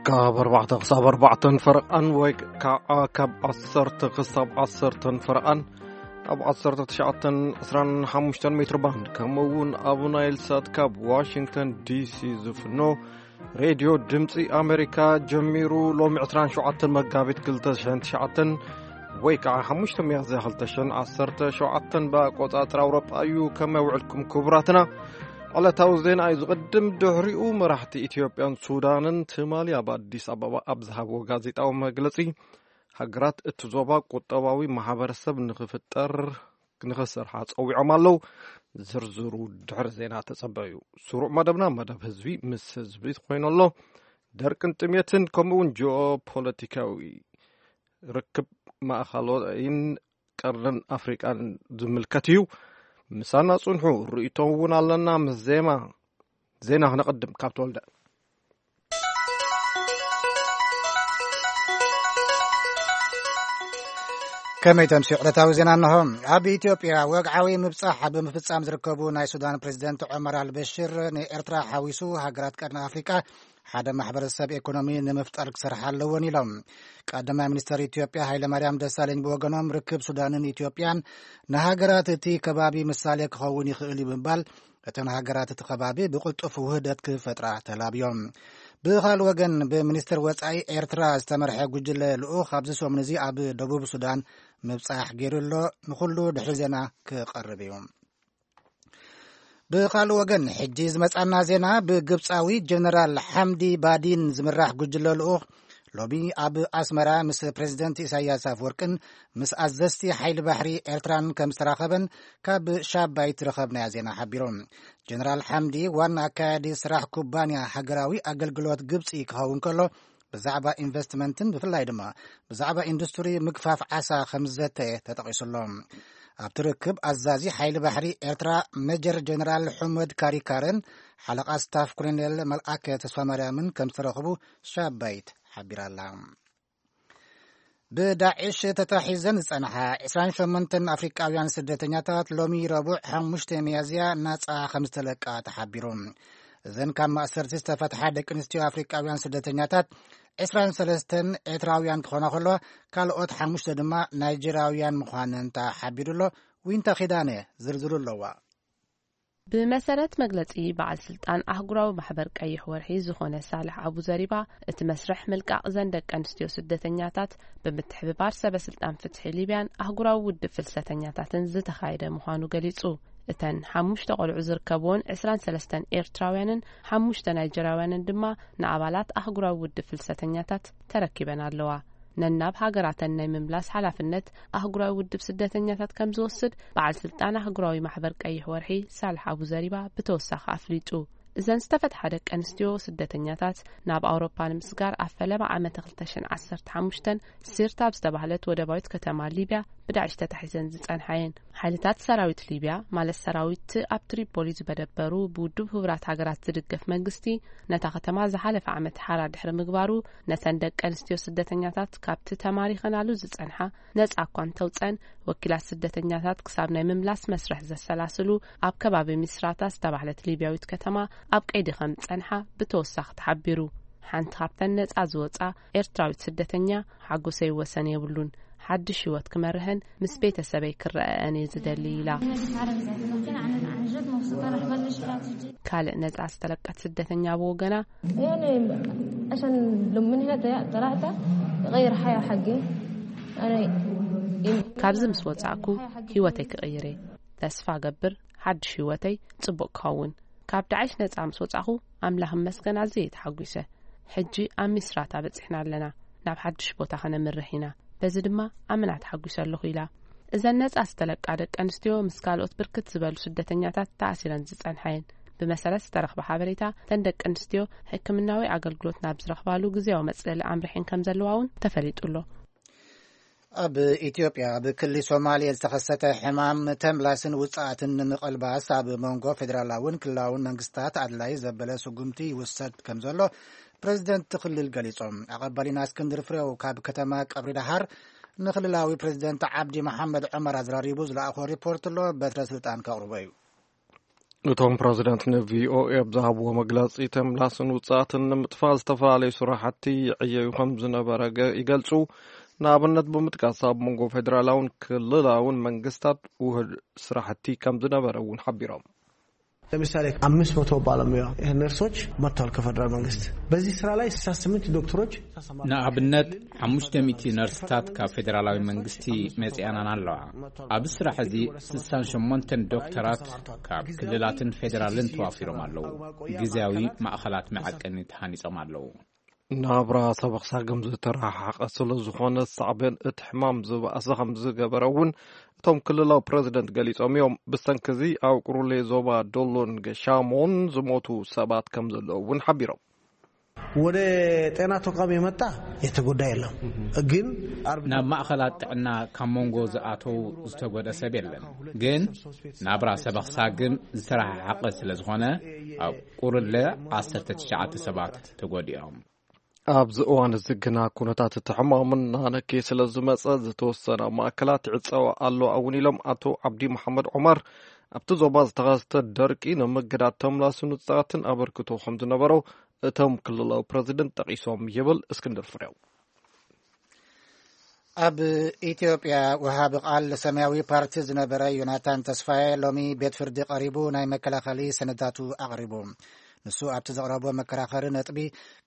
ካብ ኣርባዕተ ክሳብ ኣርባዕተን ፈረቓን ወይ ከዓ ካብ ዓሰርተ ክሳብ ዓሰርተን ፈረቓን ኣብ ዓሰርተ ትሽዓተን ዕስራን ሓሙሽተን ሜትር ባንድ፣ ከምኡ እውን ኣብ ናይል ሳት ካብ ዋሽንግተን ዲሲ ዝፍኖ ሬድዮ ድምፂ ኣሜሪካ ጀሚሩ። ሎሚ ዕስራን ሸውዓተን መጋቢት ክልተ ሽሕን ትሽዓተን ወይ ከዓ ሓሙሽተ ሚያዝያ ክልተ ሽሕን ዓሰርተ ሸውዓተን ብኣቆፃፅራ ኣውሮጳ እዩ። ከመይ ውዕልኩም ክቡራትና? ዕለታዊ ዜና እዩ ዝቕድም። ድሕሪኡ መራሕቲ ኢትዮጵያን ሱዳንን ትማሊ ኣብ ኣዲስ ኣበባ ኣብ ዝሃብዎ ጋዜጣዊ መግለፂ፣ ሃገራት እቲ ዞባ ቁጠባዊ ማሕበረሰብ ንኽፍጠር ንኽሰርሓ ጸዊዖም ኣለዉ። ዝርዝሩ ድሕሪ ዜና ተጸበዩ። ስሩዕ መደብና መደብ ህዝቢ ምስ ህዝቢ ኮይኑ ኣሎ። ደርቅን ጥሜትን ከምኡ እውን ጂኦፖለቲካዊ ርክብ ማእኸሎይን ቀርንን ኣፍሪቃን ዝምልከት እዩ። ምሳና ጽንሑ። ርእይቶ እውን ኣለና። ምስ ዜማ ዜና ክነቐድም ካብ ተወልደ። ከመይ ተምስዩ ዕለታዊ ዜና? እንሆ። ኣብ ኢትዮጵያ ወግዓዊ ምብጻሕ ኣብ ምፍጻም ዝርከቡ ናይ ሱዳን ፕሬዚደንት ዑመር ኣልበሽር፣ ንኤርትራ ሓዊሱ ሃገራት ቀርኒ ኣፍሪቃ ሓደ ማሕበረሰብ ኢኮኖሚ ንምፍጣር ክሰርሓ ኣለወን ኢሎም። ቀዳማይ ሚኒስተር ኢትዮጵያ ሃይለማርያም ደሳለኝ ብወገኖም፣ ርክብ ሱዳንን ኢትዮጵያን ንሃገራት እቲ ከባቢ ምሳሌ ክኸውን ይኽእል እዩ ብምባል፣ እተን ሃገራት እቲ ከባቢ ብቕልጡፍ ውህደት ክፈጥራ ተላብዮም። ብኻልእ ወገን፣ ብሚኒስትር ወጻኢ ኤርትራ ዝተመርሐ ጉጅለ ልኡኽ ኣብዚ ሰሙን እዚ ኣብ ደቡብ ሱዳን ምብጻሕ ገይሩ ኣሎ። ንኹሉ ድሕሪ ዜና ክቐርብ እዩ። ብኻልእ ወገን፣ ሕጂ ዝመጻና ዜና፣ ብግብጻዊ ጀነራል ሓምዲ ባዲን ዝምራሕ ጉጅለ ልኡኽ ሎሚ ኣብ ኣስመራ ምስ ፕሬዚደንት ኢሳያስ ኣፍወርቅን ምስ ኣዘዝቲ ሓይሊ ባሕሪ ኤርትራን ከም ዝተራኸበን ካብ ሻባይት ዝረኸብናዮ ዜና ሓቢሩ። ጀነራል ሓምዲ ዋና ኣካያዲ ስራሕ ኩባንያ ሃገራዊ ኣገልግሎት ግብጺ ክኸውን ከሎ፣ ብዛዕባ ኢንቨስትመንትን ብፍላይ ድማ ብዛዕባ ኢንዱስትሪ ምግፋፍ ዓሳ ከም ዝዘተየ ተጠቒሱ ኣሎ። ኣብቲ ርክብ፣ ኣዛዚ ሓይሊ ባሕሪ ኤርትራ ሜጀር ጀነራል ሑመድ ካሪካርን ሓለቓ ስታፍ ኮሎኔል መልኣከ ተስፋማርያምን ከም ዝተረኽቡ ሻባይት ሓቢራ ኣላ። ብዳዕሽ ተታሒዘን ዝጸንሓ ዕስራን ሸሞንተን ኣፍሪቃውያን ስደተኛታት ሎሚ ረቡዕ ሓሙሽተ ሚያዝያ ናጻ ከም ዝተለቃ ተሓቢሩ። እዘን ካብ ማእሰርቲ ዝተፈትሓ ደቂ ኣንስትዮ ኣፍሪቃውያን ስደተኛታት ዕስራን ሰለስተን ኤርትራውያን ክኾና ከለዋ፣ ካልኦት ሓሙሽተ ድማ ናይጀርያውያን ምዃነን ተሓቢሩ ኣሎ። ዊንታ ኺዳነ ዝርዝሩ ኣለዋ። ብመሰረት መግለጺ በዓል ስልጣን ኣህጉራዊ ማሕበር ቀይሕ ወርሒ ዝኾነ ሳልሕ ኣቡ ዘሪባ፣ እቲ መስርሕ ምልቃቕ እዘን ደቂ ኣንስትዮ ስደተኛታት ብምትሕብባር ሰበ ስልጣን ፍትሒ ሊብያን ኣህጉራዊ ውድብ ፍልሰተኛታትን ዝተኻየደ ምዃኑ ገሊጹ። እተን ሓሙሽተ ቆልዑ ዝርከብዎን ዕስራን ሰለስተን ኤርትራውያንን ሓሙሽተ ናይጀርያውያንን ድማ ንኣባላት ኣህጉራዊ ውድብ ፍልሰተኛታት ተረኪበን ኣለዋ። ነናብ ሃገራተን ናይ ምምላስ ሓላፍነት ኣህጉራዊ ውድብ ስደተኛታት ከም ዝወስድ በዓል ስልጣን ኣህጉራዊ ማሕበር ቀይሕ ወርሒ ሳልሕ ኣቡ ዘሪባ ብተወሳኺ ኣፍሊጡ። እዘን ዝተፈትሓ ደቂ ኣንስትዮ ስደተኛታት ናብ ኣውሮፓ ንምስጋር ኣብ ፈለማ ዓመተ ክልተ ሽሕን ዓሰርተ ሓሙሽተን ሲርታ ኣብ ዝተባህለት ወደባዊት ከተማ ሊብያ ብዳዕሽ ተታሒዘን ዝጸንሓ እየን። ሓይልታት ሰራዊት ሊብያ፣ ማለት ሰራዊት ኣብ ትሪፖሊ ዝመደበሩ ብውድብ ህቡራት ሃገራት ዝድገፍ መንግስቲ፣ ነታ ከተማ ዝሓለፈ ዓመት ሓራ ድሕሪ ምግባሩ፣ ነተን ደቂ ኣንስትዮ ስደተኛታት ካብቲ ተማሪኸናሉ ዝጸንሓ ነጻ እኳ እንተውጸን፣ ወኪላት ስደተኛታት ክሳብ ናይ ምምላስ መስርሕ ዘሰላስሉ ኣብ ከባቢ ሚስራታ ዝተባህለት ሊብያዊት ከተማ ኣብ ቀይዲ ከም ዝጸንሓ ብተወሳኺ ተሓቢሩ። ሓንቲ ካብተን ነጻ ዝወጻ ኤርትራዊት ስደተኛ፣ ሓጎሰይ ወሰን የብሉን። ሓድሽ ህይወት ክመርሕን ምስ ቤተሰበይ ክረኣኣን እየ ዝደሊ ኢላ። ካልእ ነጻ ዝተለቀት ስደተኛ ብወገና፣ يعني عشان لو من هنا طلعت غير حياة حقي. أنا ካብዚ ምስ ወጻእኩ ህይወተይ ክቕይር እየ። ተስፋ ገብር ሓድሽ ህይወተይ ጽቡቕ ክኸውን። ካብ ዳዕሽ ነጻ ምስ ወጻኹ ኣምላኽ ይመስገን ኣዝየ ተሓጒሰ። ሕጂ ኣብ ሚስራታ በጺሕና ኣለና። ናብ ሓድሽ ቦታ ከነምርሕ ኢና። በዚ ድማ ኣመና ተሓጒሰ ኣለኹ ኢላ። እዘን ነጻ ዝተለቃ ደቂ ኣንስትዮ ምስ ካልኦት ብርክት ዝበሉ ስደተኛታት ተኣሲረን ዝጸንሓ እየን። ብመሰረት ዝተረኽበ ሓበሬታ፣ እተን ደቂ ኣንስትዮ ሕክምናዊ ኣገልግሎት ናብ ዝረኽባሉ ግዜያዊ መጽለሊ ኣምሪሐን ከም ዘለዋ እውን ተፈሊጡ ኣሎ። ኣብ ኢትዮጵያ፣ ኣብ ክልል ሶማሌ ዝተኸሰተ ሕማም ተምላስን ውጽኣትን ንምቕልባስ ኣብ መንጎ ፌዴራላውን ክልላውን መንግስታት ኣድላይ ዘበለ ስጉምቲ ይውሰድ ከም ዘሎ ፕሬዚደንት ክልል ገሊጾም። ኣቐባሊና እስክንድር ፍሬው ካብ ከተማ ቀብሪ ደሃር ንክልላዊ ፕሬዚደንት ዓብዲ መሓመድ ዑመር ኣዘራሪቡ ዝለኣኾ ሪፖርት ኣሎ። በትረ ስልጣን ከቕርቦ እዩ። እቶም ፕሬዚደንት ንቪኦኤ ኣብ ዝሃብዎ መግለጺ፣ ተምላስን ውጽኣትን ንምጥፋእ ዝተፈላለዩ ስራሕቲ ይዕየዩ ከም ዝነበረ ገ- ይገልጹ። ንኣብነት ብምጥቃስ፣ ኣብ መንጎ ፌደራላውን ክልላውን መንግስታት ውህድ ስራሕቲ ከም ዝነበረ እውን ሓቢሮም። ለምሳሌ አምስት መቶ ባለሙያ ነርሶች መጥተዋል ከፌደራል መንግስት። በዚህ ስራ ላይ ስልሳ ስምንት ዶክተሮች ንኣብነት ሓሙሽተ ሚእቲ ነርስታት ካብ ፌደራላዊ መንግስቲ መጺኣናን ኣለዋ። ኣብዚ ስራሕ እዚ ስሳን ሸሞንተን ዶክተራት ካብ ክልላትን ፌደራልን ተዋፊሮም ኣለዉ። ግዜያዊ ማእኸላት መዐቀኒ ተሃኒጾም ኣለዉ። ናብራ ሰበኽሳግም ዝተረሓሓቐ ስለ ዝኾነ፣ ሳዕቤን እቲ ሕማም ዝበኣሰ ከም ዝገበረ እውን እቶም ክልላዊ ፕረዚደንት ገሊጾም እዮም። ብሰንኪ እዚ ኣብ ቁሩሌ ዞባ ዶሎን ገሻሞን ዝሞቱ ሰባት ከም ዘለዉ እውን ሓቢሮም። ወደ ጤና ተቋም የመጣ የተጎዳ የለም። ግን አርብ ናብ ማእኸላት ጥዕና ካብ መንጎ ዝኣተው ዝተጎደ ሰብ የለን። ግን ናብራ ሰበኽሳግም ዝተረሓሓቐ ስለ ዝኾነ፣ ኣብ ቁርለ ዓሰርተ ትሽዓተ ሰባት ተጎዲኦም። ኣብዚ እዋን እዚ ግና ኩነታት እቲ ሕማም እናነከየ ስለ ዝመጸ፣ ዝተወሰና ማእከላት ይዕጸዋ ኣለዋ እውን ኢሎም ኣቶ ዓብዲ መሓመድ ዑመር። ኣብቲ ዞባ ዝተኸስተ ደርቂ ንምግዳድ ተምላስን ውጽኣትን ኣበርክቶ ከም ዝነበሮ እቶም ክልላዊ ፕረዚደንት ጠቒሶም ይብል እስክንድር ፍሬው። ኣብ ኢትዮጵያ ወሃቢ ቃል ሰማያዊ ፓርቲ ዝነበረ ዮናታን ተስፋዬ ሎሚ ቤት ፍርዲ ቀሪቡ ናይ መከላኸሊ ሰነዳቱ ኣቕሪቡ። ንሱ ኣብቲ ዘቕረቦ መከራኸሪ ነጥቢ፣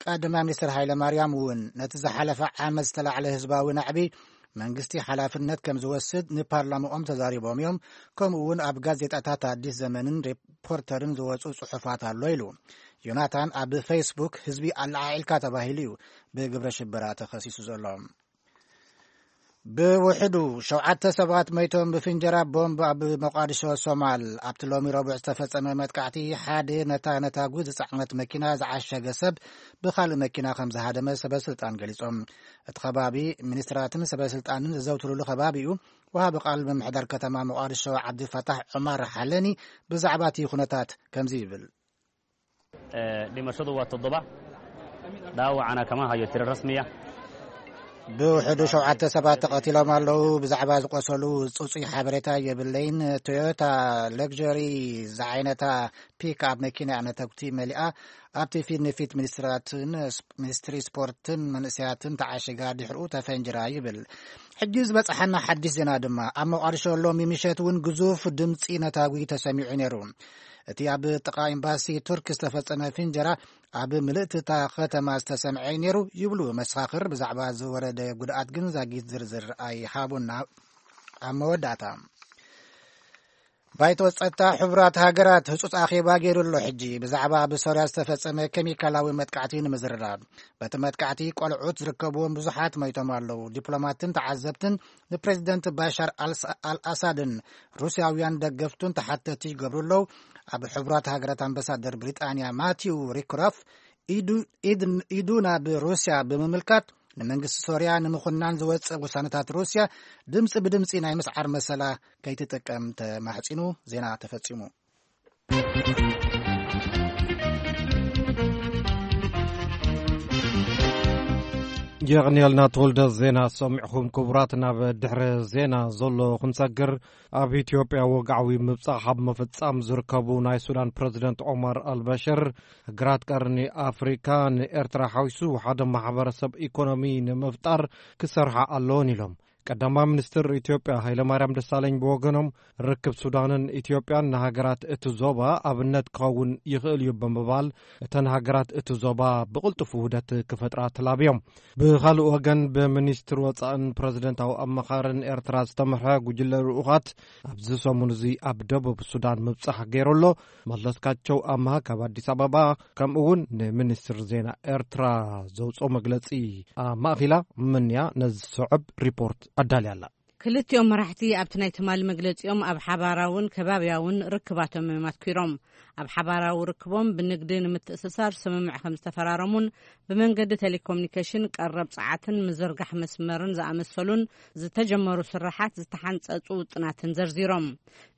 ቀዳማይ ሚኒስትር ሃይለ ማርያም እውን ነቲ ዝሓለፈ ዓመት ዝተላዕለ ህዝባዊ ናዕቢ መንግስቲ ሓላፍነት ከም ዝወስድ ንፓርላማኦም ተዛሪቦም እዮም። ከምኡ እውን ኣብ ጋዜጣታት ኣዲስ ዘመንን ሪፖርተርን ዝወፁ ፅሑፋት ኣሎ ኢሉ። ዮናታን ኣብ ፌስቡክ ህዝቢ ኣለዓዒልካ ተባሂሉ እዩ ብግብረ ሽበራ ተኸሲሱ ዘሎ። ብውሕዱ ሸውዓተ ሰባት መይቶም ብፍንጀራ ቦምብ ኣብ መቋድሾ ሶማል። ኣብቲ ሎሚ ረቡዕ ዝተፈጸመ መጥቃዕቲ፣ ሓደ ነታ ነታጉ ዝጸዓነት መኪና ዝዓሸገ ሰብ ብኻልእ መኪና ከም ዝሃደመ ሰበ ስልጣን ገሊጾም። እቲ ከባቢ ሚኒስትራትን ሰበ ስልጣንን ዘዘውትሩሉ ከባቢ እዩ። ወሃቢ ቃል ምምሕዳር ከተማ መቋድሾ ዓብዲ ፈታሕ ዑማር ሓለኒ ብዛዕባ እቲ ኩነታት ከምዚ ይብል። Dhimashadu waa toddoba, dhaawacana kama hayo tiro rasmiya. ብውሕዱ ሸውዓተ ሰባት ተቐቲሎም ኣለዉ። ብዛዕባ ዝቆሰሉ ጽጹይ ሓበሬታ የብለይን። ቶዮታ ለግጀሪ ዝዓይነታ ፒክኣፕ መኪና ነተጉቲ መሊኣ ኣብቲ ፊት ንፊት ሚኒስትራትን ሚኒስትሪ ስፖርትን መንእሰያትን ተዓሽጋ ድሕሪኡ ተፈንጅራ ይብል። ሕጂ ዝበጽሓና ሓድሽ ዜና ድማ ኣብ መቋድሾ ሎሚ ምሸት እውን ግዙፍ ድምጺ ነታጉ ተሰሚዑ ነይሩ። እቲ ኣብ ጥቓ ኤምባሲ ቱርክ ዝተፈጸመ ፍንጀራ ኣብ ምልእቲ እታ ከተማ ዝተሰምዐ እዩ ነይሩ ይብሉ መሰኻኽር። ብዛዕባ ዝወረደ ጉድኣት ግን ዛጊት ዝርዝር ኣይሃቡና። ኣብ መወዳእታ፣ ባይቶ ጸጥታ ሕቡራት ሃገራት ህጹጽ ኣኼባ ገይሩ ኣሎ። ሕጂ ብዛዕባ ኣብ ሶርያ ዝተፈጸመ ኬሚካላዊ መጥቃዕቲ ንምዝርራብ፣ በቲ መጥቃዕቲ ቆልዑት ዝርከብዎም ብዙሓት መይቶም ኣለዉ። ዲፕሎማትን ተዓዘብትን ንፕሬዚደንት ባሻር ኣልስ- ኣልኣሳድን ሩስያውያን ደገፍቱን ተሓተቲ ይገብሩ ኣለዉ። ኣብ ሕቡራት ሃገራት ኣምባሳደር ብሪጣንያ ማቲው ሪክሮፍ ኢዱ- ኢድ- ኢዱ ናብ ሩስያ ብምምልካት፣ ንመንግስቲ ሶርያ ንምኹናን ዝወጽእ ውሳነታት ሩስያ ድምጺ ብድምጺ ናይ ምስዓር መሰላ ከይትጥቀም ተማሕጺኑ። ዜና ተፈጺሙ። የቕንየልና ተወልደ ዜና ሰሚዕኹም። ክቡራት፣ ናብ ድሕሪ ዜና ዘሎ ክንሰግር፣ ኣብ ኢትዮጵያ ወግዓዊ ምብጻሕ ኣብ ምፍጻም ዝርከቡ ናይ ሱዳን ፕረዚደንት ዑመር ኣልበሽር፣ ሃገራት ቀርኒ ኣፍሪካ ንኤርትራ ሓዊሱ ሓደ ማሕበረሰብ ኢኮኖሚ ንምፍጣር ክሰርሓ ኣለዎን ኢሎም። ቀዳማይ ሚኒስትር ኢትዮጵያ ሃይለማርያም ደሳለኝ ብወገኖም፣ ርክብ ሱዳንን ኢትዮጵያን ንሃገራት እቲ ዞባ ኣብነት ክኸውን ይኽእል እዩ ብምባል፣ እተን ሃገራት እቲ ዞባ ብቕልጡፍ ውህደት ክፈጥራ ተላብዮም። ብኻልእ ወገን፣ ብሚኒስትር ወጻእን ፕረዚደንታዊ ኣማኻርን ኤርትራ ዝተመርሐ ጉጅለ ልኡኻት ኣብዚ ሰሙን እዚ ኣብ ደቡብ ሱዳን ምብጻሕ ገይሩ ኣሎ። መለስካቸው ኣምሃ ካብ ኣዲስ ኣበባ፣ ከምኡ እውን ንሚኒስትር ዜና ኤርትራ ዘውፅኦ መግለጺ ኣማእኺላ፣ ምንያ ነዚ ዝስዕብ ሪፖርት ኣዳልያ ኣላ። ክልቲኦም መራሕቲ ኣብቲ ናይ ትማሊ መግለጺኦም ኣብ ሓባራውን ከባብያውን ርክባቶም እዮም ኣትኲሮም። ኣብ ሓባራዊ ርክቦም ብንግዲ ንምትእስሳር ስምምዕ ከም ዝተፈራረሙን ብመንገዲ ቴሌኮሙኒኬሽን ቀረብ ጸዓትን ምዝርጋሕ መስመርን ዝኣመሰሉን ዝተጀመሩ ስራሓት ዝተሓንጸጹ ውጥናትን ዘርዚሮም።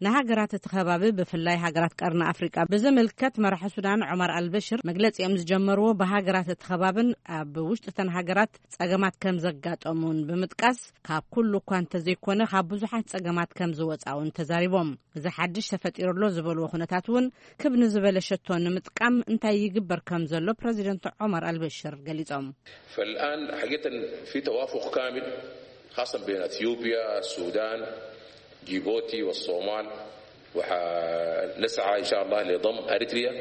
ንሃገራት እቲ ከባቢ ብፍላይ ሃገራት ቀርኒ ኣፍሪቃ ብዝምልከት መራሒ ሱዳን ዑማር ኣልበሽር መግለጺኦም ዝጀመርዎ ብሃገራት እቲ ከባብን ኣብ ውሽጢ እተን ሃገራት ጸገማት ከም ዘጋጠሙን ብምጥቃስ ካብ ኩሉ እኳ እንተዘይኮነ ካብ ብዙሓት ጸገማት ከም ዝወጻ እውን ተዛሪቦም። እዚ ሓድሽ ተፈጢሩ ኣሎ ዝበልዎ ኩነታት እውን ክብ ንዝበለ ሸቶ ንምጥቃም እንታይ ይግበር ከም ዘሎ ፕረዚደንት ዑማር ኣልበሽር ገሊጾም። فالآن حقيقة في توافق كامل خاصة بين أثيوبيا، السودان، جيبوتي والصومال، ونسعى إن شاء الله لضم أريتريا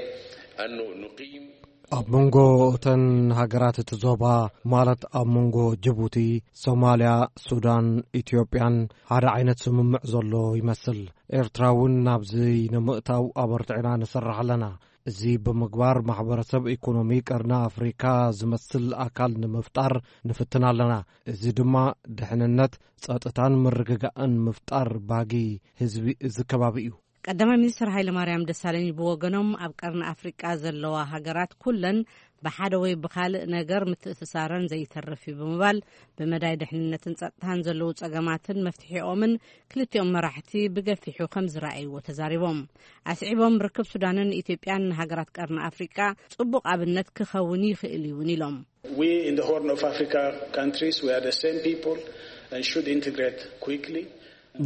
أنه نقيم ኣብ መንጎ እተን ሃገራት እቲ ዞባ ማለት ኣብ መንጎ ጅቡቲ፣ ሶማልያ፣ ሱዳን፣ ኢትዮጵያን ሓደ ዓይነት ስምምዕ ዘሎ ይመስል። ኤርትራ እውን ናብዚ ንምእታው ኣበርቲዕና ንሰርሕ ኣለና። እዚ ብምግባር ማሕበረሰብ ኢኮኖሚ ቀርኒ ኣፍሪካ ዝመስል ኣካል ንምፍጣር ንፍትን ኣለና። እዚ ድማ ድሕንነት፣ ጸጥታን ምርግጋእን ምፍጣር ባጊ ህዝቢ እዚ ከባቢ እዩ። ቀዳማይ ሚኒስትር ሃይለማርያም ደሳለኝ ብወገኖም ኣብ ቀርኒ ኣፍሪቃ ዘለዋ ሃገራት ኩለን ብሓደ ወይ ብኻልእ ነገር ምትእስሳረን ዘይተርፍ እዩ ብምባል ብመዳይ ድሕንነትን ጸጥታን ዘለዉ ጸገማትን መፍትሒኦምን ክልቲኦም መራሕቲ ብገፊሑ ከም ዝረኣይዎ ተዛሪቦም። ኣስዒቦም ርክብ ሱዳንን ኢትዮጵያን ንሃገራት ቀርኒ ኣፍሪቃ ጽቡቕ ኣብነት ክኸውን ይኽእል እውን ኢሎም። We in the Horn of Africa countries, we are the same people and should integrate quickly.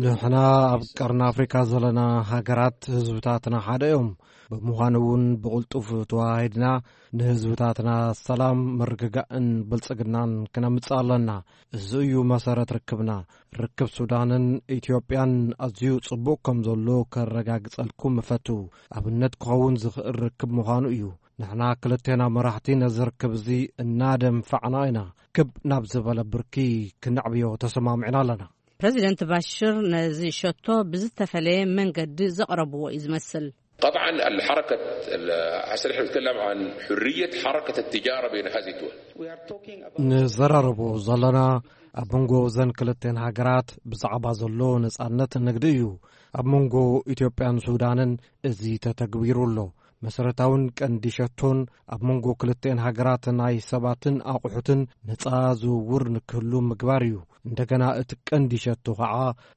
ንሕና ኣብ ቀርኒ ኣፍሪካ ዘለና ሃገራት ህዝብታትና ሓደ እዮም። ብምዃኑ እውን ብቕልጡፍ ተዋሂድና ንህዝብታትና ሰላም፣ ምርግጋእን ብልጽግናን ክነምጽእ ኣለና። እዚ እዩ መሰረት ርክብና። ርክብ ሱዳንን ኢትዮጵያን ኣዝዩ ጽቡቕ ከም ዘሎ ከረጋግጸልኩም እፈቱ። ኣብነት ክኸውን ዝኽእል ርክብ ምዃኑ እዩ። ንሕና ክልቴና መራሕቲ ነዚ ርክብ እዚ እናደንፋዕና ኢና። ክብ ናብ ዝበለ ብርኪ ክነዕብዮ ተሰማሚዕና ኣለና። ፕረዚደንት ባሽር ነዚ ሸቶ ብዝተፈለየ መንገዲ ዘቕረብዎ እዩ ዝመስል። طبعا الحركة هسه نحن نتكلم عن حرية حركة التجارة بين هذه الدول. ንዘራረቦ ዘለና ኣብ መንጎ እዘን ክልቴን ሃገራት ብዛዕባ ዘሎ ነጻነት ንግዲ እዩ። ኣብ መንጎ ኢትዮጵያን ሱዳንን እዚ ተተግቢሩ ኣሎ። መሰረታውን ቀንዲ ሸቶን ኣብ መንጎ ክልቴን ሃገራት ናይ ሰባትን ኣቑሑትን ነጻ ዝውውር ንክህሉ ምግባር እዩ። እንደገና እቲ ቀንዲ ሸቶ ከዓ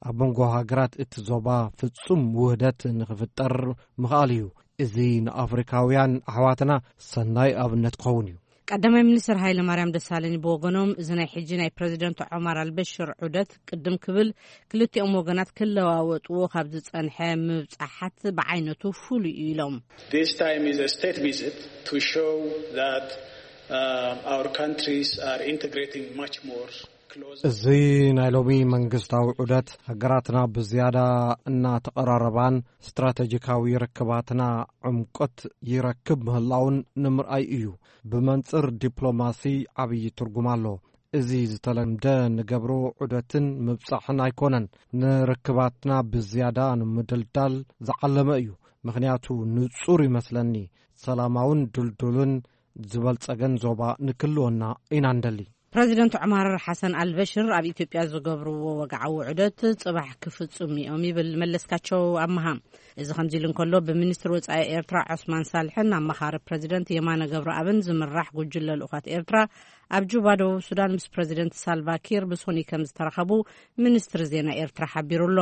ኣብ መንጎ ሃገራት እቲ ዞባ ፍጹም ውህደት ንክፍጠር ምኽኣል እዩ። እዚ ንኣፍሪካውያን ኣሕዋትና ሰናይ ኣብነት ክኸውን እዩ። ቀዳማይ ሚኒስትር ሃይለማርያም ደሳለኝ ብወገኖም፣ እዚ ናይ ሕጂ ናይ ፕረዚደንት ዖማር ኣልበሽር ዑደት ቅድም ክብል ክልቲኦም ወገናት ክለዋወጥዎ ካብ ዝጸንሐ ምብጻሓት ብዓይነቱ ፍሉይ እዩ ኢሎም። This time is a state visit to show that uh, our countries are integrating much more closer. እዚ ናይ ሎሚ መንግስታዊ ዑደት ሃገራትና ብዝያዳ እናተቐራረባን ስትራተጂካዊ ርክባትና ዕምቆት ይረክብ ምህላውን ንምርኣይ እዩ። ብመንጽር ዲፕሎማሲ ዓብዪ ትርጉም ኣሎ። እዚ ዝተለምደ ንገብሮ ዑደትን ምብጻሕን ኣይኮነን፣ ንርክባትና ብዝያዳ ንምድልዳል ዝዓለመ እዩ። ምኽንያቱ ንጹር ይመስለኒ፣ ሰላማውን ድልዱልን ዝበልጸገን ዞባ ንክልወና ኢና ንደሊ። ፕረዚደንት ዑማር ሓሰን ኣልበሽር ኣብ ኢትዮጵያ ዝገብርዎ ወግዓዊ ዑደት ጽባሕ ክፍጹም እዮም ይብል መለስካቸው ኣመሃ። እዚ ከምዚ ኢሉ እንከሎ፣ ብሚኒስትር ወጻኢ ኤርትራ ዖስማን ሳልሕን ኣመኻሪ ፕረዚደንት የማነ ገብረኣብን ዝምራሕ ጉጅለ ልኡኻት ኤርትራ ኣብ ጁባ ደቡብ ሱዳን ምስ ፕረዚደንት ሳልቫ ኪር ብሶኒ ከም ዝተራኸቡ ሚኒስትሪ ዜና ኤርትራ ሓቢሩ ኣሎ።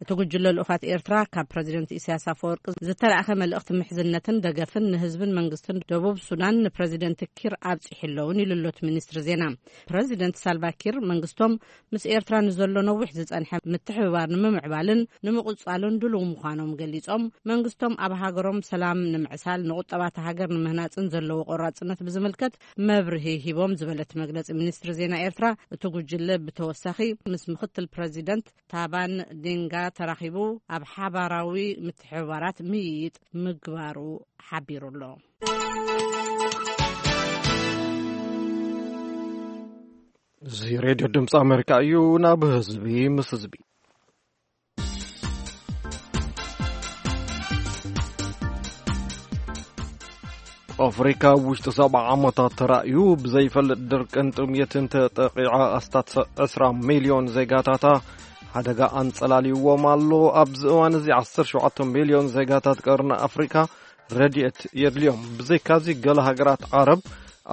እቲ ጉጅለ ልኡኻት ኤርትራ ካብ ፕረዚደንት ኢሳያስ ኣፈወርቂ ዝተላእኸ መልእኽቲ ምሕዝነትን ደገፍን ንህዝብን መንግስትን ደቡብ ሱዳን ንፕረዚደንት ኪር ኣብጺሑ ኣለውን ኢሉ ኣሎ እቲ ሚኒስትሪ ዜና። ፕረዚደንት ሳልቫ ኪር መንግስቶም ምስ ኤርትራ ንዘሎ ነዊሕ ዝጸንሐ ምትሕብባር ንምምዕባልን ንምቕጻሉን ድሉው ምዃኖም ገሊጾም፣ መንግስቶም ኣብ ሃገሮም ሰላም ንምዕሳል ንቁጠባ እታ ሃገር ንምህናጽን ዘለዎ ቆራጽነት ብዝምልከት መብርሂ ሂቦም ዝበለ እቲ መግለጺ ሚኒስትሪ ዜና ኤርትራ፣ እቲ ጉጅለ ብተወሳኺ ምስ ምኽትል ፕረዚደንት ታባን ዴንጋ ተራኺቡ ኣብ ሓባራዊ ምትሕብባራት ምይይጥ ምግባሩ ሓቢሩ ኣሎ። እዚ ሬድዮ ድምፂ ኣሜሪካ እዩ። ናብ ህዝቢ ምስ ህዝቢ ኣፍሪካ ኣብ ውሽጢ ሰብዓ ዓመታት ተራእዩ ብዘይፈልጥ ድርቅን ጥምየትን ተጠቂዓ ኣስታት ዕስራ ሚልዮን ዜጋታታ ሓደጋ ኣንጸላልይዎም ኣሎ። ኣብዚ እዋን እዚ ዓሰርተ ሸውዓተ ሚልዮን ዜጋታት ቀርኒ ኣፍሪካ ረድኤት የድልዮም። ብዘይካዚ፣ ገለ ሃገራት ዓረብ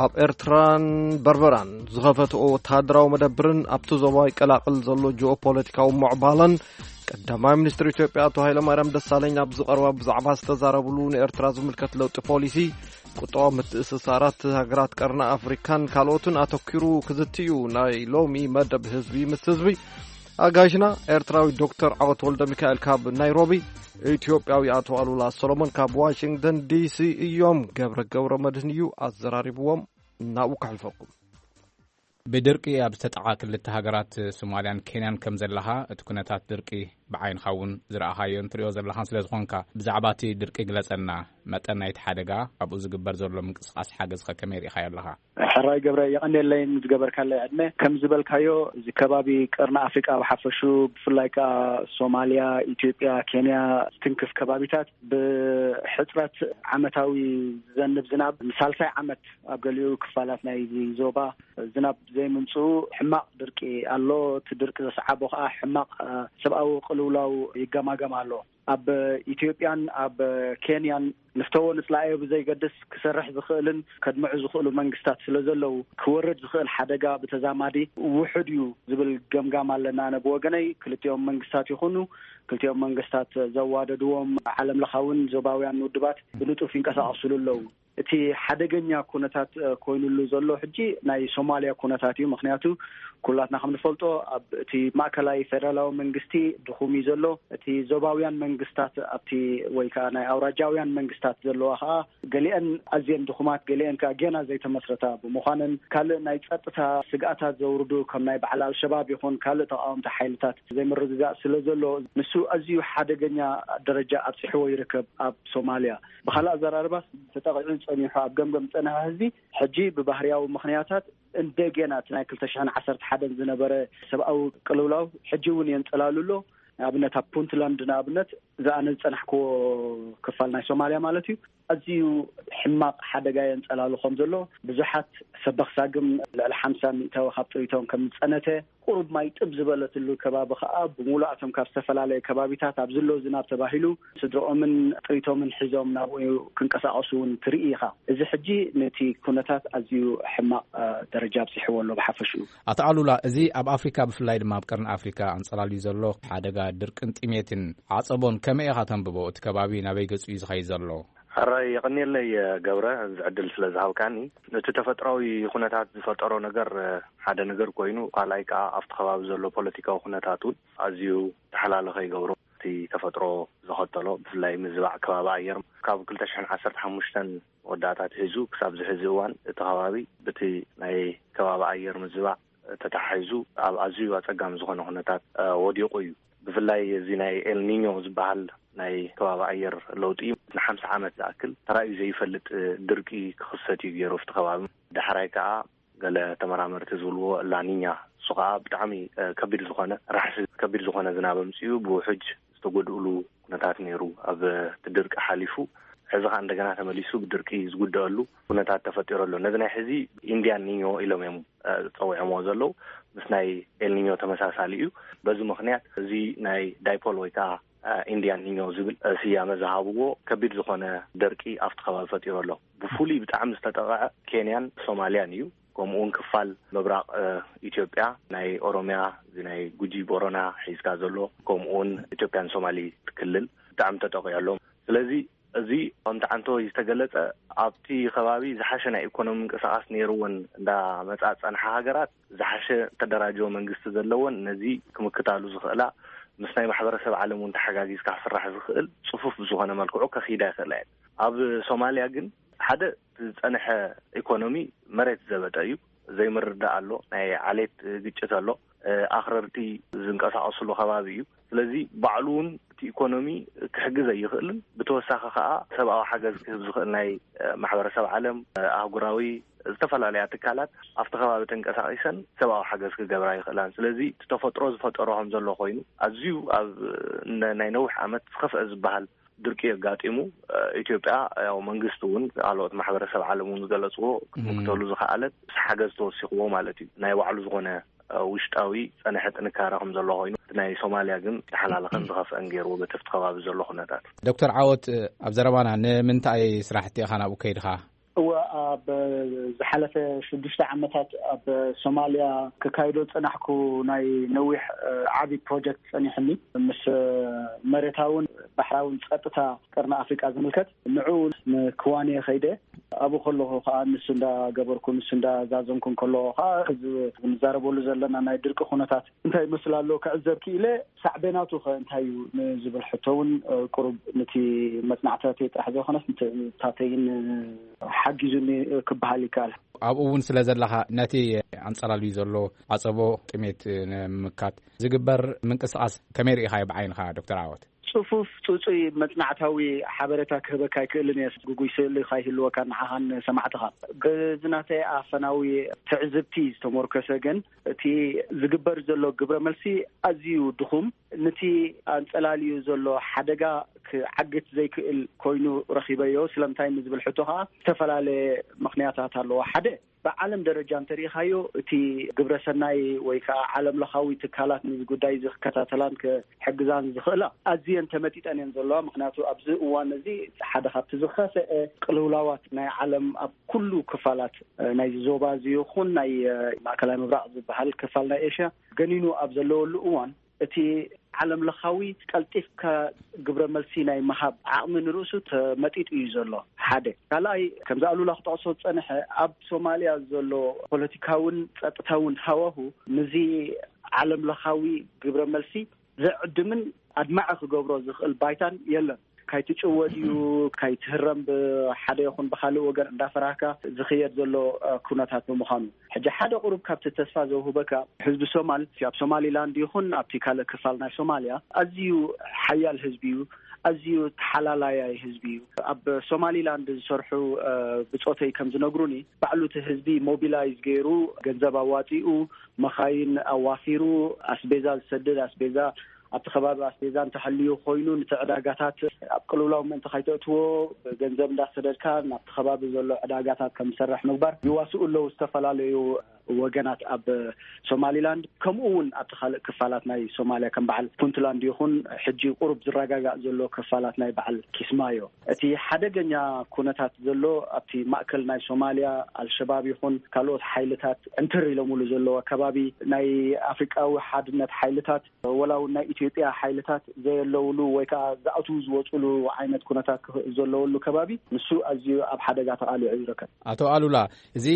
ኣብ ኤርትራን በርበራን ዝኸፈትኦ ወተሃደራዊ መደብርን ኣብቲ ዞባ ይቀላቐል ዘሎ ጂኦፖለቲካዊ ምዕባለን ቀዳማይ ሚኒስትር ኢትዮጵያ ኣቶ ሃይለማርያም ደሳለኝ ኣብዚ ቀረባ ብዛዕባ ዝተዛረብሉ ንኤርትራ ዝምልከት ለውጢ ፖሊሲ፣ ቁጠባዊ ምትእስሳራት ሃገራት ቀርኒ ኣፍሪካን ካልኦትን ኣተኪሩ ክዝቲ እዩ ናይ ሎሚ መደብ ህዝቢ ምስ ህዝቢ። ኣጋይሽና ኤርትራዊ ዶክተር ዓወት ወልደ ሚካኤል ካብ ናይሮቢ፣ ኢትዮጵያዊ ኣቶ ኣሉላ ሰሎሞን ካብ ዋሽንግተን ዲሲ እዮም። ገብረ ገብረ መድህን እዩ ኣዘራሪብዎም። ናብኡ ከሕልፈኩም። ብድርቂ ኣብ ዝተጠዓ ክልተ ሃገራት ሶማልያን ኬንያን ከም ዘለኻ፣ እቲ ኩነታት ድርቂ ብዓይንኻ እውን ዝረኣኻዮን ትሪኦ ዘለኻን ስለ ዝኾንካ፣ ብዛዕባ እቲ ድርቂ ግለጸልና። መጠን ናይቲ ሓደጋ፣ ኣብኡ ዝግበር ዘሎ ምንቅስቓስ ሓገዝኸ ከመይ ርኢኻዮ ኣለኻ? ሕራይ ገብረ፣ የቐንየለይ ንዝገበርካለይ ዕድመ። ከም ዝበልካዮ፣ እዚ ከባቢ ቀርኒ ኣፍሪቃ ብሓፈሹ፣ ብፍላይ ከኣ ሶማልያ፣ ኢትዮጵያ፣ ኬንያ ዝትንክፍ ከባቢታት፣ ብሕጽረት ዓመታዊ ዝዘንብ ዝናብ ንሳልሳይ ዓመት ኣብ ገሊኡ ክፋላት ናይዚ ዞባ ዝናብ ዘይምምጽኡ ሕማቕ ድርቂ ኣሎ። እቲ ድርቂ ዘስዓቦ ከኣ ሕማቕ፣ እ፣ ሰብኣዊ ቅልውላው ይገማገም ኣሎ። ኣብ ኢትዮጵያን ኣብ ኬንያን ንፍተዎ ንጽላእዮ ብዘይገድስ ክሰርሕ ዝኽእልን ከድምዑ ዝኽእሉ መንግስታት ስለ ዘለዉ፣ ክወርድ ዝኽእል ሓደጋ ብተዛማዲ ውሑድ እዩ ዝብል ገምጋም ኣለና። ኣነ ብወገነይ፣ ክልቲኦም መንግስታት ይኹኑ፣ ክልቲኦም መንግስታት ዘዋደድዎም ዓለም ለኻውን ዞባውያን ውድባት ብንጡፍ ይንቀሳቐሱሉ ኣለዉ። እቲ ሓደገኛ ኩነታት፣ እ፣ ኮይኑሉ ዘሎ ሕጂ ናይ ሶማልያ ኩነታት እዩ። ምኽንያቱ፣ ኩላትና ከም ንፈልጦ፣ ኣብ እቲ ማእከላይ ፌደራላዊ መንግስቲ ድኹም እዩ ዘሎ። እቲ ዞባውያን መንግስታት ኣብቲ፣ ወይ ከኣ ናይ ኣውራጃውያን መንግስታት ዘለዋ ከኣ፣ ገሊአን ኣዝየን ድኹማት፣ ገሊአን ከኣ ጌና ዘይተመስረታ ብምዃነን፣ ካልእ ናይ ጸጥታ ስግኣታት ዘውርዱ፣ ከም ናይ በዓል ኣልሸባብ ይኹን ካልእ ተቃወምቲ ሓይልታት ዘይምርግጋእ ስለ ዘሎ፣ ንሱ ኣዝዩ ሓደገኛ ደረጃ ኣብጺሕዎ ይርከብ ኣብ ሶማልያ። ብኻልእ ኣዘራርባ፣ ተጠቒዑ ጸኒሑ ኣብ ገምገም ዝጸንሐ ህዝቢ፣ ሕጂ ብባህርያዊ ምኽንያታት እንደገና እቲ ናይ ክልተ ሽሕን ዓሰርተ ሓደን ዝነበረ ሰብኣዊ ቅልውላው ሕጂ እውን የንጸላሉ ኣሎ። ንኣብነት፣ ኣብ ፑንትላንድ፣ ንኣብነት፣ እዚ ኣነ ዝጸናሕክዎ ክፋል ናይ ሶማልያ ማለት እዩ፣ ኣዝዩ ሕማቕ ሓደጋ የንጸላሉ ከም ዘሎ፣ ብዙሓት ሰበኽ ሳግም፣ ልዕሊ ሓምሳ ሚእታዊ ካብ ጥሪቶም ከም ዝጸነተ፣ ቁሩብ ማይ ጥብ ዝበለትሉ ከባቢ ከኣ፣ ብምሉኣቶም ካብ ዝተፈላለየ ከባቢታት ኣብ ዝሎ ዝናብ ተባሂሉ፣ ስድረኦምን ጥሪቶምን ሒዞም ናብኡ ክንቀሳቐሱ እውን ትርኢ ኢኻ። እዚ ሕጂ ነቲ ኩነታት ኣዝዩ ሕማቕ፣ እ፣ ደረጃ ኣብጺሕዎ ኣሎ ብሓፈሽኡ። ኣቶ ኣሉላ፣ እዚ ኣብ ኣፍሪካ፣ ብፍላይ ድማ ኣብ ቀርኒ ኣፍሪካ ኣንጸላልዩ ዘሎ ሓደጋ ድርቅን ጥሜትን ዓጸቦን ከመይ ኢኻ ተንብቦ? እቲ ከባቢ ናበይ ገጹ እዩ ዝኸይድ ዘሎ? ሕራይ የቐንየለይ ገብረ፣ እዚ ዕድል ስለ ዝሃብካኒ። እቲ ተፈጥሮኣዊ ኩነታት ዝፈጠሮ ነገር ሓደ ነገር ኮይኑ፣ ካልኣይ ከኣ ኣብቲ ከባቢ ዘሎ ፖለቲካዊ ኩነታት እውን ኣዝዩ ተሓላልኸ ይገብሮ። እቲ ተፈጥሮ ዘኸተሎ፣ ብፍላይ ምዝባዕ ከባቢ ኣየር፣ ካብ ክልተ ሽሕን ዓሰርተ ሓሙሽተን መወዳእታ ኣትሒዙ ክሳብ ዝሕዚ እዋን እቲ ከባቢ ብቲ ናይ ከባቢ ኣየር ምዝባዕ ተተሓሒዙ ኣብ ኣዝዩ ኣጸጋሚ ዝኾነ ኩነታት፣ እ፣ ወዲቑ እዩ። ብፍላይ እዚ ናይ ኤልኒኞ ዝበሃል ናይ ከባቢ ኣየር ለውጢ ንሓምሳ ዓመት ዝኣክል ተራእዩ ዘይፈልጥ፣ እ፣ ድርቂ ክኽሰት እዩ ገይሩ ኣብቲ ከባቢ። ዳሕራይ ከኣ ገለ ተመራመርቲ ዝብልዎ ላኒኛ፣ እሱ ከኣ ብጣዕሚ፣ እ፣ ከቢድ ዝኾነ፣ ራሕሲ ከቢድ ዝኾነ ዝናብ ኣምጺኡ ብውሕጅ ዝተጎድእሉ ኩነታት ነይሩ። ኣብ እቲ ድርቂ ሓሊፉ፣ ሕዚ ከኣ እንደገና ተመሊሱ ብድርቂ ዝጉደአሉ ኩነታት ተፈጢሩ ኣሎ። ነዚ ናይ ሕዚ ኢንዲያን ኒኞ ኢሎም እዮም፣ እ፣ ጸዊዖምዎ ዘለዉ። ምስ ናይ ኤልኒኞ ተመሳሳሊ እዩ። በዚ ምኽንያት እዚ ናይ ዳይፖል ወይ ከኣ፣ እ፣ ኢንዲያን ኒኞ ዝብል፣ እ፣ ስያመ ዝሃብዎ ከቢድ ዝኾነ ደርቂ ኣብቲ ከባቢ ፈጢሩ ኣሎ። ብፍሉይ ብጣዕሚ ዝተጠቕዐ ኬንያን ሶማልያን እዩ። ከምኡ እውን ክፋል ምብራቕ፣ እ፣ ኢትዮጵያ፣ ናይ ኦሮምያ፣ እዚ ናይ ጉጂ ቦረና ሒዝካ ዘሎ፣ ከምኡ እውን ኢትዮጵያን ሶማሊ ክልል ብጣዕሚ ተጠቒዑ ኣሎ። ስለዚ እዚ ከምቲ ዓንተወይ ዝተገለጸ፣ ኣብቲ ከባቢ ዝሓሸ ናይ ኢኮኖሚ ምንቅስቓስ ነይርዎን እንዳመጻ ዝጸንሓ ሃገራት፣ ዝሓሸ ተደራጀወ መንግስቲ ዘለዎን ነዚ ክምክታሉ ዝኽእላ፣ ምስ ናይ ማሕበረሰብ ዓለም እውን ተሓጋጊዝካ ክስራሕ ዝኽእል ጽፉፍ ብዝኾነ መልክዑ ከኺዳ ይኽእላ እየን። ኣብ ሶማልያ ግን ሓደ ዝጸንሐ ኢኮኖሚ መሬት ዘበጠ እዩ። ዘይምርዳእ ኣሎ። ናይ ዓሌት ግጭት ኣሎ። እ፣ ኣኽረርቲ ዝንቀሳቐስሉ ከባቢ እዩ። ስለዚ ባዕሉ እውን እቲ ኢኮኖሚ ክሕግዝ ኣይኽእልን። ብተወሳኺ ከኣ ሰብኣዊ ሓገዝ ክህብ ዝኽእል ናይ፣ እ፣ ማሕበረሰብ ዓለም፣ እ፣ ኣህጉራዊ ዝተፈላለያ ትካላት ኣብቲ ከባቢ ተንቀሳቒሰን ሰብኣዊ ሓገዝ ክገብራ ይኽእላን። ስለዚ እቲ ተፈጥሮ ዝፈጠሮ ከም ዘሎ ኮይኑ ኣዝዩ ኣብ ነ-፣ ናይ ነዊሕ ዓመት ዝኸፍአ ዝበሃል ድርቂ ኣጋጢሙ፣ እ፣ ኢትዮጵያ፣ ያው መንግስቲ እውን ካልኦት ማሕበረሰብ ዓለም እውን ዝገለጽዎ፣ እም። ክትምክተሉ ዝኸኣለት ምስ ሓገዝ ተወሲኽዎ ማለት እዩ። ናይ ባዕሉ ዝኾነ ውሽጣዊ ጸንሐ ጥንካረ ከም ዘሎ ኮይኑ፣ ናይ ሶማልያ ግን ዝሓላለኸን ዝኸፍአን ገይርዎ በቲ ኣብቲ ከባቢ ዘሎ ኩነታት። ዶክተር ዓወት፣ ኣብ ዘረባና ንምንታይ ስራሕቲ ኢኻ ናብኡ ከይድኻ? እወ፣ ኣብ ዝሓለፈ ሽዱሽተ ዓመታት ኣብ ሶማልያ ክካይዶ ዝጸናሕኩ ናይ ነዊሕ ዓቢ ፕሮጀክት ጸኒሕኒ፣ ምስ መሬታውን ባሕራውን ጸጥታ ቀርኒ ኣፍሪቃ ዝምልከት። ንዑ ንክዋንየ ከይደ። ኣብኡ ከለኹ ከዓ ንሱ እንዳገበርኩ ንሱ እንዳዛዘምኩ ከለኹ ከዓ እዚ ንዛረበሉ ዘለና ናይ ድርቂ ኩነታት እንታይ ይመስል ኣሎ ክዕዘብ ክኢለ። ሳዕቤናቱ ከ እንታይ እዩ ንዝብል ሕቶ እውን ቁሩብ ነቲ መጽናዕታተይ ጥራሕ ዘይኮነስ ንታተይን ሓጊዙኒ ክበሃል ይከኣል። ኣብኡ እውን ስለ ዘለኻ ነቲ ኣንጸላልዩ ዘሎ ዓጸቦ ጥሜት ንምምካት ዝግበር ምንቅስቃስ ከመይ ርኢኻዮ ብዓይንኻ ዶክተር ዓወት? ጽፉፍ ጽጹይ መጽናዕታዊ ሓበሬታ ክህበካ ኣይክእልን እየ። ግጉይ ስእሊ ካይህልወካ ንዓኻን ሰማዕትኻ። በዚ ናተይ ኣፈናዊ ትዕዝብቲ ዝተሞርከሰ ግን እቲ ዝግበር ዘሎ ግብረ መልሲ ኣዝዩ ድኹም፣ ነቲ ኣንጸላልዩ ዘሎ ሓደጋ ክዓግት ዘይክእል ኮይኑ ረኺበዮ። ስለምንታይ ንዝብል ሕቶ ከኣ ዝተፈላለየ ምኽንያታት ኣለዎ። ሓደ ብዓለም ደረጃ እንተሪኢኻዮ እቲ ግብረ ሰናይ ወይ ከዓ ዓለም ለኻዊ ትካላት ነዚ ጉዳይ እዚ ክከታተላን ክሕግዛን ዝኽእላ ኣዝየን ተመጢጠን እየን ዘለዋ። ምክንያቱ ኣብዚ እዋን እዚ ሓደ ካብቲ ዝኸፍአ ቅልውላዋት ናይ ዓለም ኣብ ኩሉ ክፋላት ናይዚ ዞባ እዚ ይኹን ናይ ማእከላይ ምብራቕ ዝበሃል ክፋል ናይ ኤሽያ ገኒኑ ኣብ ዘለወሉ እዋን እቲ ዓለም ለኻዊ ቀልጢፍካ ግብረ መልሲ ናይ ምሃብ ዓቕሚ ንርእሱ ተመጢጡ እዩ ዘሎ። ሓደ ካልኣይ ከምዚ ኣሉላ ክጠቕሶ ዝጸንሐ ኣብ ሶማልያ ዘሎ ፖለቲካውን ጸጥታውን ሃዋሁ ንዚ ዓለም ለኻዊ ግብረ መልሲ ዘዕድምን ኣድማዒ ክገብሮ ዝኽእል ባይታን የለን። ካይትጭወ ድዩ ካይትህረም ብሓደ ይኹን ብኻልእ ወገን እንዳፈራህካ ዝኽየድ ዘሎ ኩነታት ብምዃኑ ሕጂ ሓደ ቁሩብ ካብቲ ተስፋ ዘውህበካ ህዝቢ ሶማል ኣብ ሶማሊላንድ ይኹን ኣብቲ ካልእ ክፋል ናይ ሶማልያ ኣዝዩ ሓያል ህዝቢ እዩ። ኣዝዩ ተሓላላያይ ህዝቢ እዩ። ኣብ ሶማሊላንድ ዝሰርሑ ብጾተይ ከም ዝነግሩኒ ባዕሉ እቲ ህዝቢ ሞቢላይዝ ገይሩ ገንዘብ ኣዋጺኡ መኻይን ኣዋፊሩ ኣስቤዛ ዝሰድድ ኣስቤዛ ኣብቲ ከባቢ ኣስቤዛ እንተሃልዩ ኮይኑ ነቲ ዕዳጋታት ኣብ ቅልውላው ምእንቲ ከይተእትዎ ብገንዘብ እንዳሰደድካ ናብቲ ከባቢ ዘሎ ዕዳጋታት ከም ዝሰርሕ ምግባር ይዋስኡ ኣለዉ ዝተፈላለዩ ወገናት ኣብ ሶማሊላንድ። ከምኡ እውን ኣብቲ ካልእ ክፋላት ናይ ሶማልያ ከም በዓል ፑንትላንድ ይኹን ሕጂ ቁሩብ ዝረጋጋእ ዘሎ ክፋላት ናይ በዓል ኪስማዮ። እቲ ሓደገኛ ኩነታት ዘሎ ኣብቲ ማእከል ናይ ሶማልያ ኣልሸባብ ይኹን ካልኦት ሓይልታት ዕንትር ኢሎምሉ ዘለዉ ኣከባቢ ናይ ኣፍሪቃዊ ሓድነት ሓይልታት ወላ እውን ናይ ኢትዮጵያ ሓይልታት ዘየለውሉ ወይ ከዓ ዝኣትዉ ዝወፅሉ ዓይነት ኩነታት ክኽእል ዘለወሉ ከባቢ ንሱ ኣዝዩ ኣብ ሓደጋ ተቓሊዑ ይርከብ። ኣቶ ኣሉላ፣ እዚ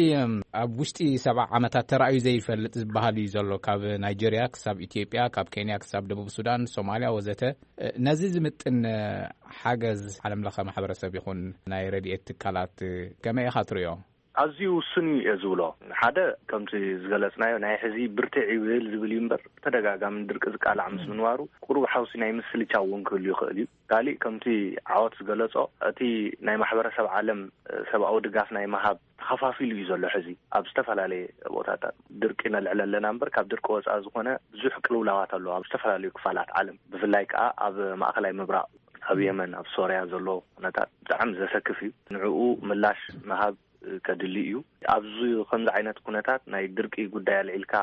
ኣብ ውሽጢ ሰብዓ ዓመታት ተራእዩ ዘይፈልጥ ዝበሃል እዩ ዘሎ። ካብ ናይጀርያ ክሳብ ኢትዮጵያ፣ ካብ ኬንያ ክሳብ ደቡብ ሱዳን፣ ሶማልያ ወዘተ። ነዚ ዝምጥን ሓገዝ ዓለም ለኸ ማሕበረሰብ ይኹን ናይ ረድኤት ትካላት ከመይ ኢኻ ትሪኦ? ኣዝዩ ውሱን እዩ እየ ዝብሎ። ሓደ ከምቲ ዝገለጽናዮ ናይ ሕዚ ብርትዕ ይብል ዝብል እዩ እምበር ተደጋጋሚ ድርቂ ዝቃላዕ ምስ ምንባሩ ቁሩብ ሓውሲ ናይ ምስልቻው እውን ክህሉ ይኽእል እዩ። ካሊእ ከምቲ ዓወት ዝገለጾ እቲ ናይ ማሕበረሰብ ዓለም ሰብኣዊ ድጋፍ ናይ ምሃብ ተኸፋፊሉ እዩ ዘሎ። ሕዚ ኣብ ዝተፈላለየ ቦታታት ድርቂ ነልዕል ኣለና እምበር ካብ ድርቂ ወፃኢ ዝኾነ ብዙሕ ቅልውላዋት ኣለዎ ኣብ ዝተፈላለዩ ክፋላት ዓለም፣ ብፍላይ ከዓ ኣብ ማእኸላይ ምብራቕ ኣብ የመን ኣብ ሶርያ ዘሎ ኩነታት ብጣዕሚ ዘሰክፍ እዩ። ንዕኡ ምላሽ ምሃብ ከድሊ እዩ። ኣብዚ ከምዚ ዓይነት ኩነታት ናይ ድርቂ ጉዳይ ኣልዒልካ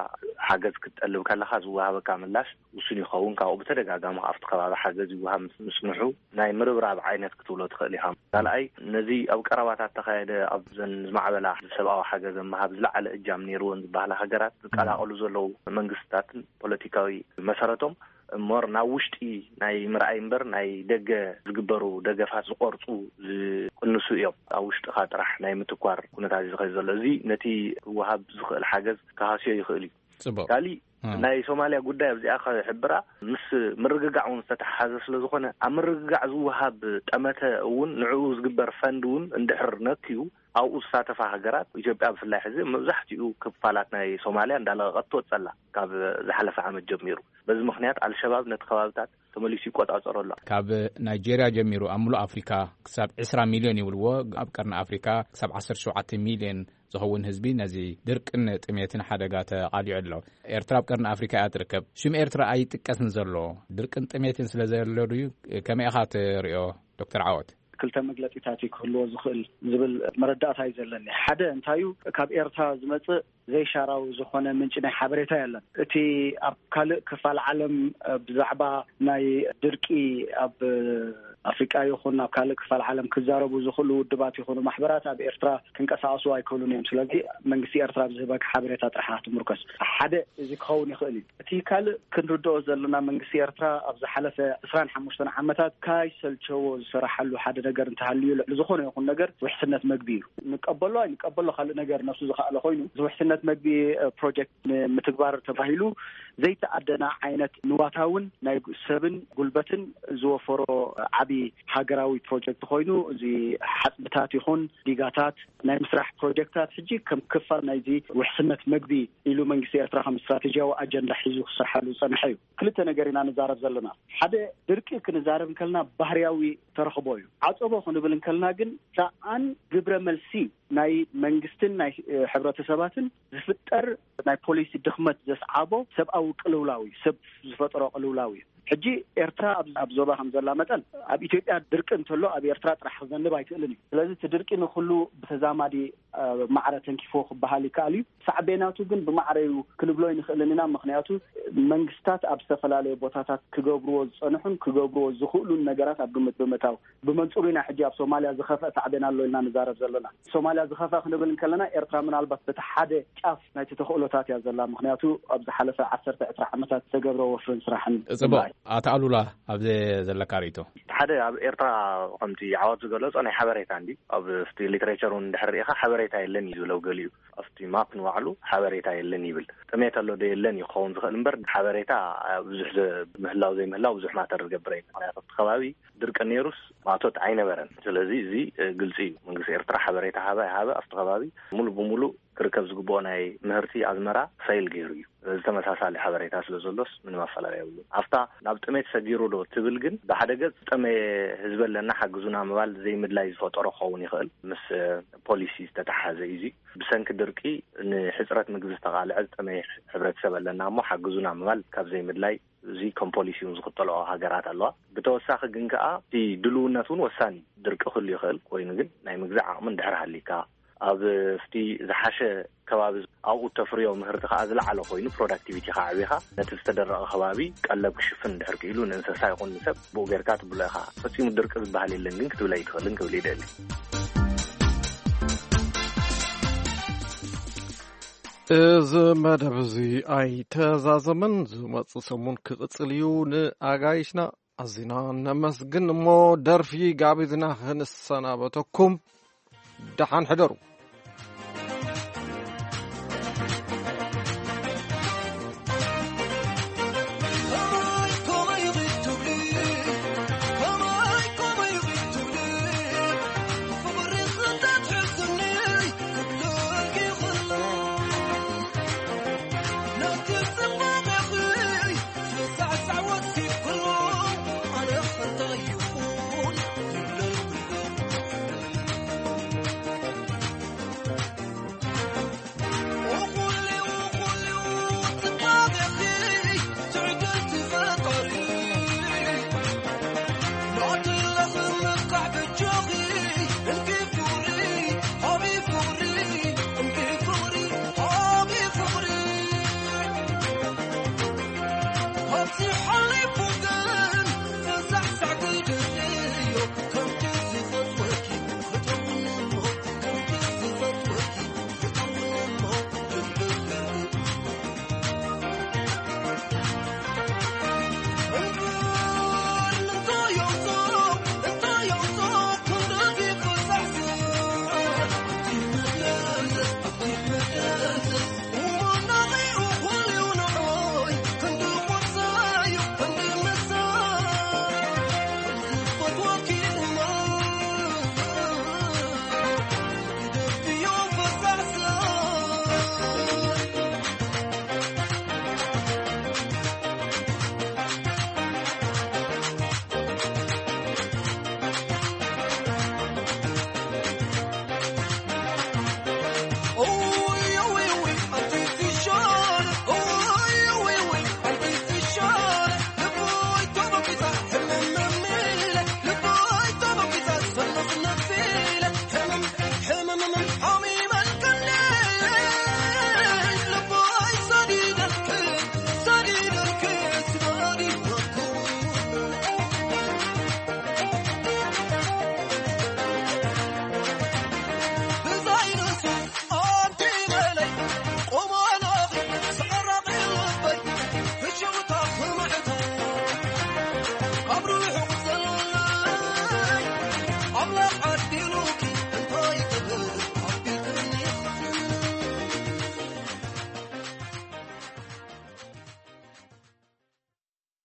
ሓገዝ ክትጠልብ ከለካ ዝወሃበካ ምላሽ ውሱን ይኸውን። ካብኡ ብተደጋጋሚ ኣብቲ ከባቢ ሓገዝ ይወሃብ ምስ ምጽንሑ ናይ ምርብራብ ዓይነት ክትብሎ ትኽእል ኢኻ። ካልኣይ ነዚ ኣብ ቀረባታት ተኻየደ ኣብዘን ዝማዕበላ ሰብኣዊ ሓገዝ ምሃብ ዝለዓለ እጃም ነይርወን ዝበሃላ ሃገራት ዝቀላቀሉ ዘለዉ መንግስትታትን ፖለቲካዊ መሰረቶም እሞር ናብ ውሽጢ ናይ ምርኣይ እምበር ናይ ደገ ዝግበሩ ደገፋት ዝቆርፁ ዝቅንሱ እዮም። ኣብ ውሽጥኻ ጥራሕ ናይ ምትኳር ኩነታት እዩ ዝኸይድ ዘሎ። እዚ ነቲ ክወሃብ ዝኽእል ሓገዝ ክሃስዮ ይኽእል እዩ። ጽቡቅ። ካሊእ ናይ ሶማልያ ጉዳይ ኣብዚኣ ክሕብራ ምስ ምርግጋዕ እውን ዝተተሓሓዘ ስለ ዝኾነ ኣብ ምርግጋዕ ዝወሃብ ጠመተ እውን ንዕኡ ዝግበር ፈንድ እውን እንድሕር ነክዩ ኣብኡ ዝሳተፋ ሃገራት ኢትዮጵያ ብፍላይ ሕዚ መብዛሕትኡ ክፋላት ናይ ሶማልያ እንዳለቐቐት ትወጸላ ካብ ዝሓለፈ ዓመት ጀሚሩ። በዚ ምኽንያት ኣልሸባብ ነቲ ከባብታት ተመሊሱ ይቆጻጸሮ ኣሎ። ካብ ናይጄርያ ጀሚሩ ኣብ ሙሉእ ኣፍሪካ ክሳብ ዕስራ ሚልዮን ይብልዎ፣ ኣብ ቀርኒ ኣፍሪካ ክሳብ ዓሰርተ ሸውዓተ ሚልዮን ዝኸውን ህዝቢ ነዚ ድርቅን ጥሜትን ሓደጋ ተቓሊዑ ኣሎ። ኤርትራ ኣብ ቀርኒ ኣፍሪካ እያ ትርከብ። ሽም ኤርትራ ኣይጥቀስን ዘሎ ድርቅን ጥሜትን ስለ ዘሎ ድዩ? ከመይ ኢኻ ትሪኦ ዶክተር ዓወት? ክልተ መግለጺታት እዩ ክህልዎ ዝኽእል ዝብል መረዳእታ እዩ ዘለኒ። ሓደ እንታዩ፣ ካብ ኤርትራ ዝመጽእ ዘይሻራዊ ዝኾነ ምንጪ ናይ ሓበሬታ የለን። እቲ ኣብ ካልእ ክፋል ዓለም ብዛዕባ ናይ ድርቂ ኣብ ኣፍሪቃ ይኹን ኣብ ካልእ ክፋል ዓለም ክዛረቡ ዝኽእሉ ውድባት ይኹኑ ማሕበራት ኣብ ኤርትራ ክንቀሳቀሱ ኣይክእሉን እዮም። ስለዚ መንግስቲ ኤርትራ ብዝህበካ ሓበሬታ ጥራሕ ትምርኮስ። ሓደ እዚ ክኸውን ይኽእል እዩ። እቲ ካልእ ክንርድኦ ዘለና መንግስቲ ኤርትራ ኣብ ዝሓለፈ ዕስራን ሓሙሽተን ዓመታት ካይ ሰልቸዎ ዝሰራሓሉ ሓደ ነገር እንተሃልዩ ልዕሊ ዝኾነ ይኹን ነገር ውሕስነት መግቢ እዩ። ንቀበሎ ኣይንቀበሎ ካልእ ነገር ነሱ ዝኸኣለ ኮይኑ እዚ ውሕስነት መግቢ ፕሮጀክት ንምትግባር ተባሂሉ ዘይተኣደና ዓይነት ንዋታውን ናይ ሰብን ጉልበትን ዝወፈሮ ዓቢ ሃገራዊ ፕሮጀክት ኮይኑ እዚ ሓጽብታት ይኹን ዲጋታት ናይ ምስራሕ ፕሮጀክታት ሕጂ ከም ክፋል ናይዚ ውሕስነት መግቢ ኢሉ መንግስቲ ኤርትራ ከም ስትራቴጂያዊ ኣጀንዳ ሒዙ ክሰርሓሉ ዝጸንሐ እዩ። ክልተ ነገር ኢና ንዛረብ ዘለና። ሓደ ድርቂ ክንዛረብ እንከልና ባህርያዊ ተረኽቦ እዩ። ዓጸቦ ክንብል እንከልና ግን ሰኣን ግብረ መልሲ ናይ መንግስትን ናይ ሕብረተሰባትን ዝፍጠር ናይ ፖሊሲ ድኽመት ዘስዓቦ ሰብኣዊ ቅልውላው እዩ። ሰብ ዝፈጠሮ ቅልውላው እዩ። ሕጂ ኤርትራ ኣብ ዞባ ከም ዘላ መጠን ኣብ ኢትዮጵያ ድርቂ እንተሎ ኣብ ኤርትራ ጥራሕ ክዘንብ ኣይክእልን እዩ። ስለዚ እቲ ድርቂ ንኩሉ ብተዛማዲ ማዕረ ተንኪፎ ክበሃል ይከኣል እዩ። ሳዕቤናቱ ግን ብማዕረዩ ክንብሎ ኣይንኽእልን ኢና። ምኽንያቱ መንግስታት ኣብ ዝተፈላለዩ ቦታታት ክገብርዎ ዝጸንሑን ክገብርዎ ዝኽእሉን ነገራት ኣብ ግምት ብምእታው ብመንጽሩ ኢና ሕጂ ኣብ ሶማልያ ዝኸፍአ ሳዕቤን ኣሎ ኢልና ንዛረብ ዘለና። ሶማልያ ዝኸፍአ ክንብል እንከለና ኤርትራ ምናልባት በቲ ሓደ ጫፍ ናይቲ ተኽእሎታት እያ ዘላ። ምኽንያቱ ኣብ ዝሓለፈ ዓሰርተ ዕስራ ዓመታት ዝተገብረ ወፍርን ስራሕን ጽቡቕ። ኣቶ ኣሉላ፣ ኣብዚ ዘለካ ርእይቶ? ሓደ ኣብ ኤርትራ ከምቲ ዓወት ዝገለጾ ናይ ሓበሬታ እንዲ ኣብ ሊትሬቸር እውን እንድሕር ርኢኻ ሓበሬታ የለን እዩ ዝብለው ገሊኡ። ኣብቲ ማፕ ንባዕሉ ሓበሬታ የለን ይብል። ጥሜት ኣሎ ዶ የለን እዩ ክኸውን ዝኽእል እምበር ሓበሬታ ብዙሕ ምህላው ዘይምህላው ብዙሕ ማተር ዝገብር እዩ። ምክንያቱ ኣብቲ ከባቢ ድርቂ ነይሩስ ማቶት ኣይነበረን። ስለዚ እዚ ግልፂ እዩ። መንግስቲ ኤርትራ ሓበሬታ ሃበ ሃበ ኣብቲ ከባቢ ሙሉ ብሙሉ ክርከብ ዝግብኦ ናይ ምህርቲ ኣዝመራ ፈይል ገይሩ እዩ። እዚ ተመሳሳሊ ሓበሬታ ስለ ዘሎስ ምንም ኣፈላላይ የብሉን። ኣብታ ናብ ጥሜት ሰጊሩ ዶ ትብል ግን ብሓደ ገፅ ዝጠመየ ህዝቢ ኣለና ሓግዙና ምባል ዘይምድላይ ዝፈጠሮ ክኸውን ይኽእል። ምስ ፖሊሲ ዝተተሓዘ እዩ። እዚ ብሰንኪ ድርቂ ንሕፅረት ምግቢ ዝተቓልዐ ዝጠመየ ሕብረተሰብ ኣለና እሞ ሓግዙና ምባል ካብ ዘይምድላይ እዚ ከም ፖሊሲ እውን ዝኽተልኦ ሃገራት ኣለዋ። ብተወሳኺ ግን ከኣ እቲ ድልውነት እውን ወሳኒ እዩ። ድርቂ ክህሉ ይኽእል ኮይኑ ግን ናይ ምግዛእ ዓቕሚ እንድሕር ሃሊካ ኣብ እቲ ዝሓሸ ከባቢ ኣብኡ ተፍርዮ ምህርቲ ከዓ ዝለዓለ ኮይኑ ፕሮዳክቲቪቲ ከዓ ዕቢኻ ነቲ ዝተደረቐ ከባቢ ቀለብ ክሽፍን እንድሕር ክኢሉ ንእንስሳ ይኹን ንሰብ ብኡ ጌርካ ትብሎ ኢኻ። ፈፂሙ ድርቂ ዝበሃል የለን ግን ክትብል ኣይትኽእልን ክብል ይደሊ። እዚ መደብ እዚ ኣይተዛዘመን። ዝመጽእ ሰሙን ክቕጽል እዩ። ንኣጋይሽና ኣዚና ነመስግን። እሞ ደርፊ ጋቢዝና ክንሰናበተኩም፣ ደሓን ሕደሩ።